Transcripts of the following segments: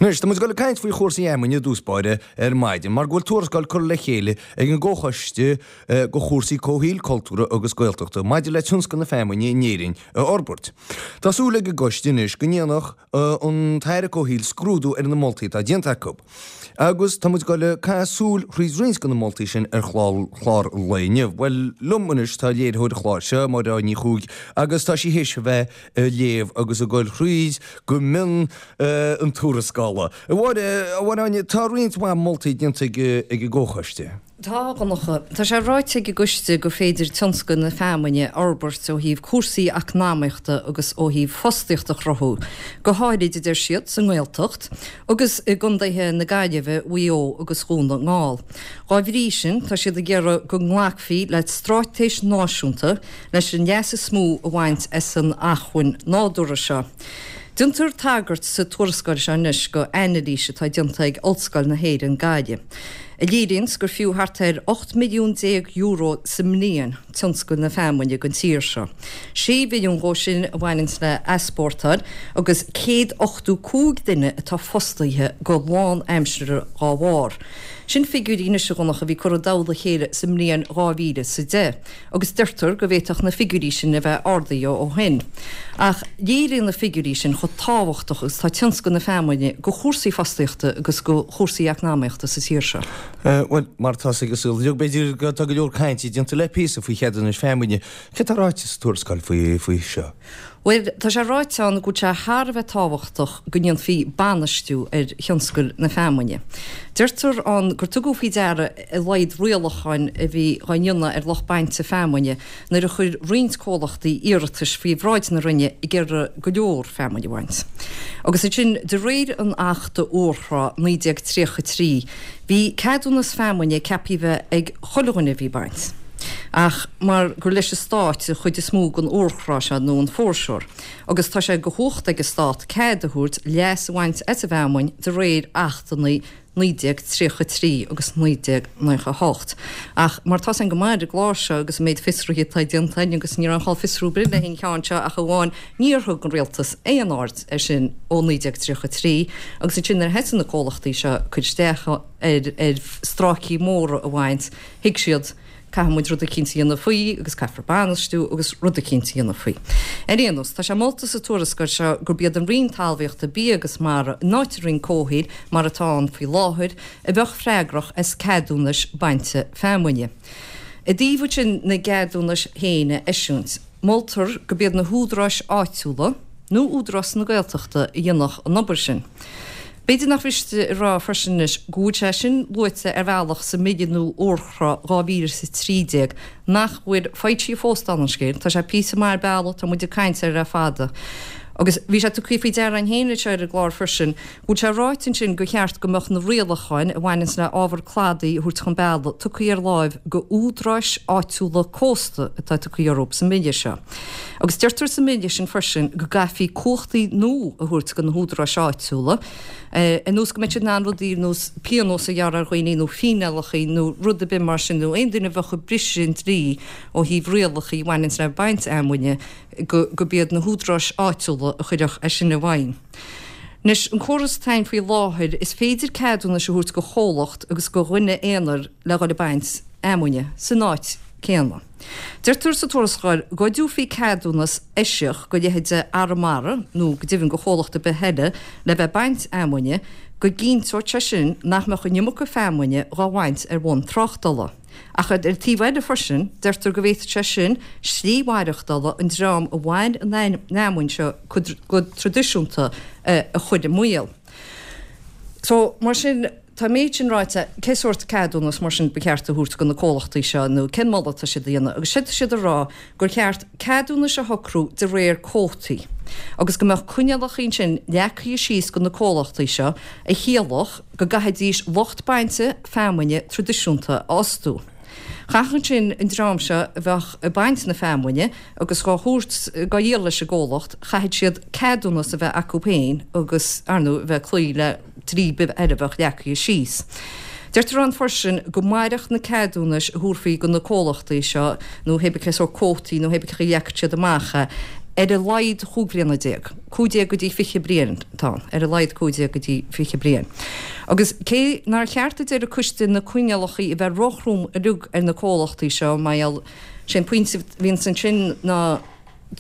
Anois, tá muid ag dul ag caint faoi chúrsaí fheamainne i dtús báire ar maidin, mar go bhfuil tuarascáil curtha le chéile ag an gComhchoiste do chúrsaí Comhshaoil, Cultúrtha agus Gaeltachta maidir le tionscal na feamainne in Éirinn a fhorbairt. Tá súil ag an gcoiste anois go ndéanfadh an tAire Comhshaoil scrúdú ar na moltaí atá déanta acu. Agus tá muid ag dul ag caitheamh súil thríd roinnt de na moltaí sin ar chlár an lae inniu. Bhuel, liom anois tá léiritheoir an chláir seo, Máire Áine Ní Chuaig, agus tá sí théis a bheith ag léamh agus ag goil thríd go mion an tuarascála. A Mháire, a Mháire Áine, tá roinnt mhaith moltaí déanta ag an gComhchoiste. Tá, a Dhonncha. Tá sé ráite ag an gcoiste gur féidir tionscal na feamainne a fhorbairt ó thaobh cúrsaí eacnamaíochta agus ó thaobh fostaíocht a chruthú, go háirid, a deir siad, sa nGaeltacht agus i gcontaetha na Gaillimhe, Mhaigh Eo agus Dhún na nGall. Dhá bhrí sin, tá siad ag iarraidh go nglacfaí le straitéis náisiúnta leis an leas is mó a bhaint as an acmhainn nádúrtha seo. Déantar tagairt sa tuarascáil seo anois go anailís atá déanta ag Ollscoil na hÉireann, Gaillimh, a léiríonns gur fiú thart ar €18 milliún sa mbliain tionscal na feamainne don tír seo. 6 mhilliún dhó sin a bhaineanns le easpórtáil agus 185 duine atá fostaithe go lán-aimseartha dhá bharr. Sin figiúirí anois, a Dhonncha, a bhí curtha i dtoll a chéile sa mbliain 2010. agus deirtear go bhféadfadh na figiúirí sin a bheith ardaithe ó shin. Ach léiríonn na figiúirí sin chomh tábhachtach agus atá tionscal na feamainne go chúrsaí fostaíochta agus go chúrsaí eacnamaíochta sa tír seo. Bhuel, mar atá 'fhios ag an saol uilig, b'fhéidir, tá go leor cainte déanta le píosa faoi cheadúnais feamainne. Céard atá ráite sa tuarascáil faoi seo? Bhuel, tá sé ráite ann go bhfuil sé thar a bheith tábhachtach go ndéanfaí bainistiú ar thionscal na feamainne. Deirtear ann gur tugadh faoi deara a laghad rialacháin a bhí dhá ndéanamh ar lucht bainte feamainne nuair a chuir roinnt comhlachtaí iarratais faoi bhráid na Roinne ag iarraidh go leor feamainne a bhaint. Agus ansin, de réir an Achta Urchrá 1933, bhí ceadúnas feamainne ceaptha a bheith ag chuile dhuine a bhí ag baint. Ach mar gur leis an Stát an chuid is mó den urchrá seo, nó an foreshore, agus tá sé de chumhacht ag an Stát cead a thabhairt leas a bhaint as an bhfeamainn de réir Achtanna 1933 agus 1998. Ach mar tá 'fhios a'inn go maith ar an gclár seo agus an méid fiosruithe atá déanta againn, agus ní raibh aon chall fiosrú ar bith le an cheann seo ach amháin níor thug an Rialtas aon aird air sin ó 1933 agus ansin nuair a thosaigh na comhlachtaí seo ag cur isteach ar stráicí móra a bhaint, Thuig siad, caithfidh muid rud eicínt a dhéanamh faoi agus caithfear bainistiú agus rud eicínt a dhéanamh faoi. Ar aon nós, tá sé molta sa tuarascáil seo gurb iad an Roinn Talmhaíochta, Bia agus Mara, in áit an Roinn Comhshaoil mar atá ann faoi láthair, a bheadh freagrach as ceadúnais bainte feamainne. I dtaobh ansin na gceadúnais féin a eisiúint, moltar gurb iad na húdaráis áitiúla nó Údarás na Gaeltachta a dhéanfadh an obair sin. B'fhéidir nach mhiste a rá freisin anois go bhfuil sé sin luaite ar bhealach sa mBille nua Urchrá 2013 nach bhfuil foilsithe fós dála an scéil. Tá sé píosa maith ar bealach, tá muid ag caint air le fada. Agus bhí sé tugtha faoi deara againn féin anseo ar an gclár freisin go bhfuil sé ráite ansin gur cheart go mbeadh na rialacháin a bhaineanns le ábhar cladaigh a thabhairt chun bealaigh tugtha ar láimh go údaráis áitiúla cósta atá tugtha orthu sa mBille seo. Agus deirtear sa mBille sin freisin go gcaithfí cumhachtaí nua a thabhairt do na húdaráis áitiúla, ar nós go mbeidh siad in ann rudaí ar nós pionós a ghearradh ar dhaoine nó fíneálacha nó rud ar bith mar sin nó aon duine a bheadh ag briseadh an dlí ó thaobh rialacha a bhaineanns le baint fheamainne, go gurb iad na húdaráis áitiúla a chuirfeadh é sin i bhfeidhm. Anois, an córas atá ann faoi láthair, is féidir ceadúnais a thabhairt do chomhlacht agus do dhuine aonair le dhul ag baint fheamainne san áit céanna. Deirtear sa tuarascáil dhá dtabharfaí ceadúnas eisiach do leithéide Arramara nó go deimhin do chomhlacht ar bith eile le bheith ag baint fheamainne, go gcinnteodh sé sin nach mbeadh an iomarca feamainne dhá bhaint ar bhonn tráchtála. Ach ar an taobh eile freisin, deirtear go bhféadfadh sé sin slí mhaireachtála an dream a bhain an fheamainn seo go traidisiúnta a chur i mbaol. So, mar sin. Tá an méid sin ráite, cé sórt ceadúnas mar sin ba cheart a thabhairt do na comhlachtaí seo nó cén moladh atá siad a dhéanamh? Agus séard tá siad a rá gur cheart ceadúnais a shocrú de réir cuótaí agus go mbeadh coinníollacha ansin leagtha síos do na comhlachtaí seo a chiallódh go gcaithfidís lucht bainte feamainne traidisiúnta a fhostú. Chaithfeadh ansin an dream seo a bheadh ag baint na feamainne agus dhá thabhairt, dhá dhíol leis an gcomhlacht, chaithfeadh siad ceadúnas a bheith acu féin agus, ar ndóigh, a bheith ag cloí le dlí ar bith eile a bheadh leagtha síos. Deirtear ann freisin go mairfeadh na ceadúnais a thabharfaí do na comhlachtaí seo, nó hé bith cé sórt cuótaí nó hé bith cén chaoi a leagfadh siad amach é. Ar a laghad chúig bhliana déag, 15 go dtí 20 bliain atá ann, ar a laghad 15 go dtí 20 bliain. Agus cé nár cheart a deir an coiste na coinníollacha a bheith róthrom uilig ar na comhlachtaí seo, mar gheall, sé an pointe a bhíonns ansin ná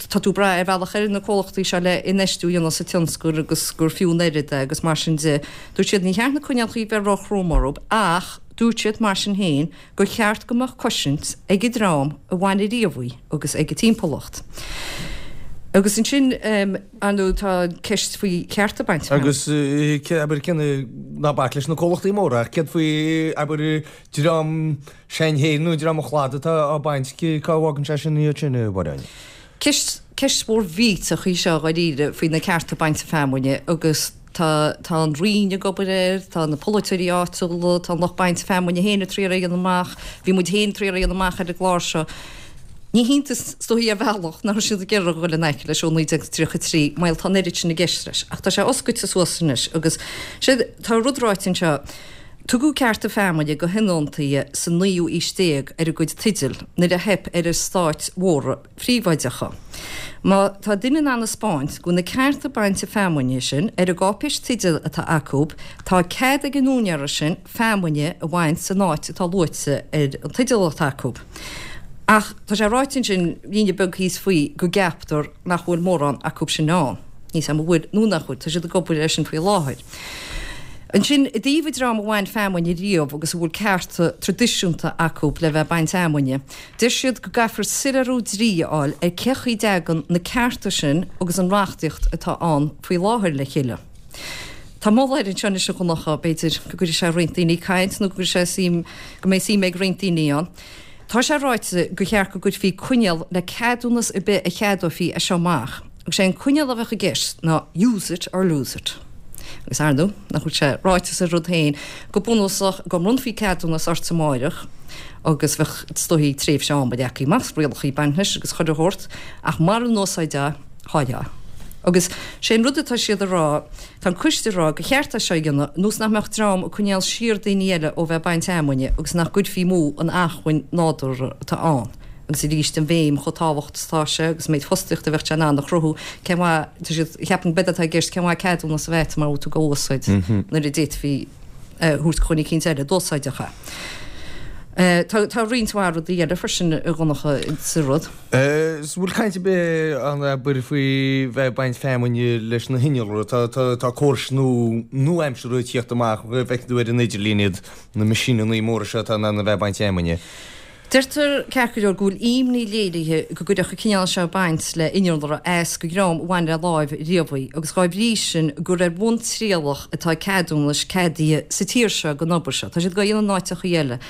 tá tú ag brath ar bhealach ar na comhlachtaí seo le infheistiú a dhéanamh sa tionscal agus gur fiú an oiread é agus mar sin de. Dúirt siad ní cheart na coinníollacha a bheith róthrom orthu ach dúirt siad mar sin féin gur cheart go mbeadh cosaint ag an dream a bhain ariamh í agus ag an timpeallacht. Agus ansin, ar ndóigh, tá an ceist faoi chearta bainte feamainne. Agus, abair, cén, ná bac leis na comhlachtaí móra, ach céard faoi, abair, dream s'againn féin nó dream an chladaigh atá á baint, cá bhfágann sé sin iad sin, a Mháire Áine? Ceist, ceist mhór mhillteach í seo, dháiríre, faoi na cearta bainte feamainne agus, Tá, tá an Roinn ag obair air, tá na polaiteoirí áitiúla, tá an lucht bainte feamainne féin ag triail é a dhéanamh amach, bhí muid féin ag triail é a dhéanamh amach ar an gclár seo. Ní hiontas, is dóichí ar bhealach, nach raibh siad ag iarraidh a dhul in aice leis ó 1933, mar tá an oiread sin i gceist leis. Ach tá sé oscailte suas anois agus, sé, tá rud ráite anseo, tugadh cearta feamainne do thionóntaithe sa naoú aois déag ar a gcuid teideal nuair a theip ar eastáit mhóra, phríobháideacha. Má tá duine in ann a 'spáint go bhfuil na cearta bainte feamainne sin ar an gcáipéis teidil atá acu, tá cead ag an úinéara sin feamainne a bhaint san áit atá luaite ar an teideal atá acu. Ach tá sé ráite ansin, líne beag thíos faoi, go gceaptar nach bhfuil mórán acu sin ann. Níl 's a'm an bhfuil nó nach bhfuil, tá siad ag obair air sin faoi láthair. Ansin, i dtaobh an dream a bhain feamainn riamh agus a bhfuil cearta traidisiúnta acu le bheith ag baint fheamainne, Deir siad go gcaithfear soiléiriú dlí a fháil ar cé chaoi dtagann na cearta sin agus an reachtaíocht atá ann faoi láthair le chéile. Tá moladh air anseo anois a Dhonncha, b'fhéidir go gcuirfidh sé roinnt daoine ag caint nó go gcuirfidh sé suim, go mbeidh suim ag roinnt daoine ann. Tá sé ráite gur cheart go gcuirfí coinníoll le ceadúnas ar bith a cheadófaí as seo amach agus sé an coinníoll a bheadh i gceist ná use it or lose it. Agus ar ndóigh, nach bhfuil sé ráite sa rud féin, go bunúsach, go mbronnfaí ceadúnas ort amáireach agus bheadh, is dóichí, tréimhse ama leagtha amach, rialacha ag baint leis agus chuile shórt, ach mara n-úsáidfeá, chaillfeá. Agus sé an rud atá siad a rá, tá an coiste a rá gur cheart é seo a dhéanamh, ionas nach mbeadh dream ag coinneáil siar daoine eile ó bheith ag baint fheamainne agus nach gcuirfí amú an acmhainn nádúrtha atá ann. Agus arís an bhéim chomh tábhachtach is atá sé agus an méid fostaíochta a bheadh sé in ann a chruthú, cén mhaith, tá siad, cheapfainn b'fhéidir atá i gceist, cén mhaith ceadúnas a bheith agat mara bhfuil tú á úsáid nuair a d'fhéadfaí a thabhairt do dhuine eicínt eile d'úsáidfeadh é. Tá, tá roinnt mhaith rudaí eile freisin a Dhonncha sa rud. Is bhfuil caint ar bith ann abair faoi bheith ag baint feamainne leis na hinnealra? Tá, tá, tá córais nua, nua-aimseartha ag tíocht amach, bhfeiceann tú ar an idirlíon iad, na meaisíneanna móra seo atá in ann a bheith ag baint feamainne. Deirtear, ceart go leor, go bhfuil imní léirithe go gcuirfeadh an cineál seo baint le innealra as do dhream a bhain le láimh riamh í agus dhá bhrí sin gur ar bhonn trialach atá ceadúnais ceadaithe sa tír seo don obair seo. Tá siad dhá dhéanamh in áiteachaí eile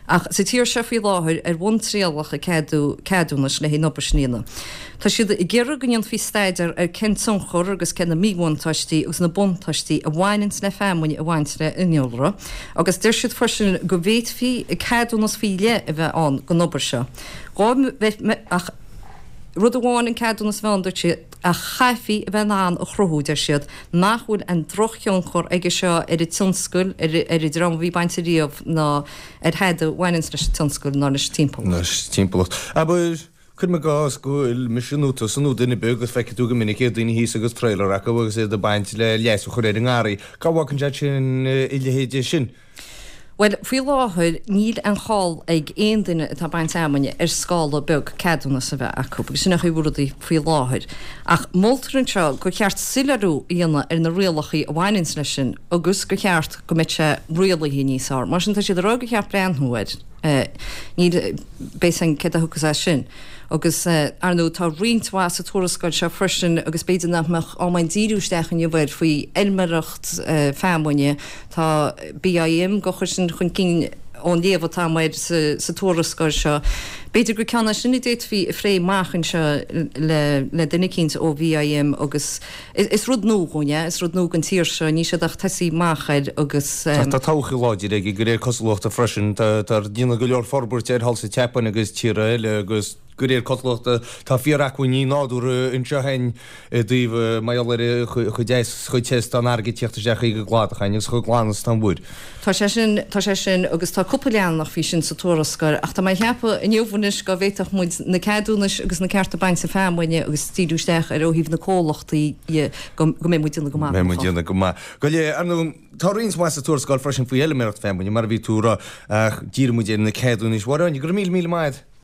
ach sa tír seo faoi láthair ar bhonn trialach a ceadú ceadúnais le haghaidh an obair sin a dhéanamh. Tá siad ag iarraidh go ndéanfaí staidéar ar cén tionchar agus cé na míbhuntáistí agus na buntáistí a bhaineanns le feamainn a bhaint le innealra agus deir siad freisin go bhféadfaí ceadúnas faoi leith a bheith ann don obair seo. Ach rud amháin an ceadúnas a bheith ann, dúirt siad, ach chaithfí a bheith in ann a chruthú, deir siad, nach bhfuil aon drochthionchar aige seo ar an tionscal, ar an dream a bhí ag baint ariamh ná ar thada a bhaineanns leis an tionscal ná leis an timpeallacht. Leis an timpeallacht. Abair. Cuirim i gcás go bhfuil mise nó tusa nó duine ar bith agus feicfidh tú go minic iad daoine thíos agus trailer acu agus iad ag baint le leigheas a chur ar an ngarraí. Cá bhfágann sé sin a leithéid sin? Bhuel, faoi láthair níl aon chall ag aon duine atá ag baint fheamainne ar scála beag ceadúnas a bheith acu agus sin an chaoi a bhfuil rudaí faoi láthair. Ach moltar anseo gur cheart soiléiriú a dhéanamh ar na rialacha a bhaineanns leis sin agus gur cheart go mbeadh sé rialaithe níos fearr. Mar sin tá siad ag rá gur cheart breathnú air. Níl, beidh 's againn céard a thiocfas as sin. Agus, ar ndóigh, tá roinnt mhaith sa tuarascáil seo freisin agus b'fhéidir nach mbeadh am againn díriú isteach inniu air, faoi fheilméireacht feamainne. Tá BIM dhá chur sin chun cinn ón léamh atá agam air sa tuarascáil seo. B'fhéidir gur ceann é sin a d'fhéadfaí a phlé amach anseo le duine eicínt ó BIM agus Is rud nua dhúinn é, is rud nua don tír seo, níl siad ach tosaí amach air agus. Tá todhchaí láidir aige de réir cosúlachta freisin. Tá déanamh go leor forbairt air thall sa tSeapáin agus tíortha eile agus. De réir cosúlachta, tá fíor-acmhainní nádúrtha anseo againn i dtaobh mar gheall ar chomh deas is chomh te is atá an fharraige ag tíocht isteach chuig an gcladach againn agus chomh glan is atá an mhuir. Tá sé sin, tá sé sin agus tá cúpla leathanach faoi sin sa tuarascáil ach tá mé ag ceapadh inniu anois go bhféadfadh muid na ceadúnais agus na cearta bainte feamainne agus díriú isteach ar ó thaobh na comhlachtaí dhe go mbeidh muid déanamh go maith. Beidh muid déanamh go maith. Go léir, ar ndóigh, tá roinnt mhaith sa tuarascáil freisin faoi fheilméaracht feamainne mar a bhí tú a rá ach díreoidh muid ar na ceadúnais. A Mháire Áine, go raibh míle míle maith agat.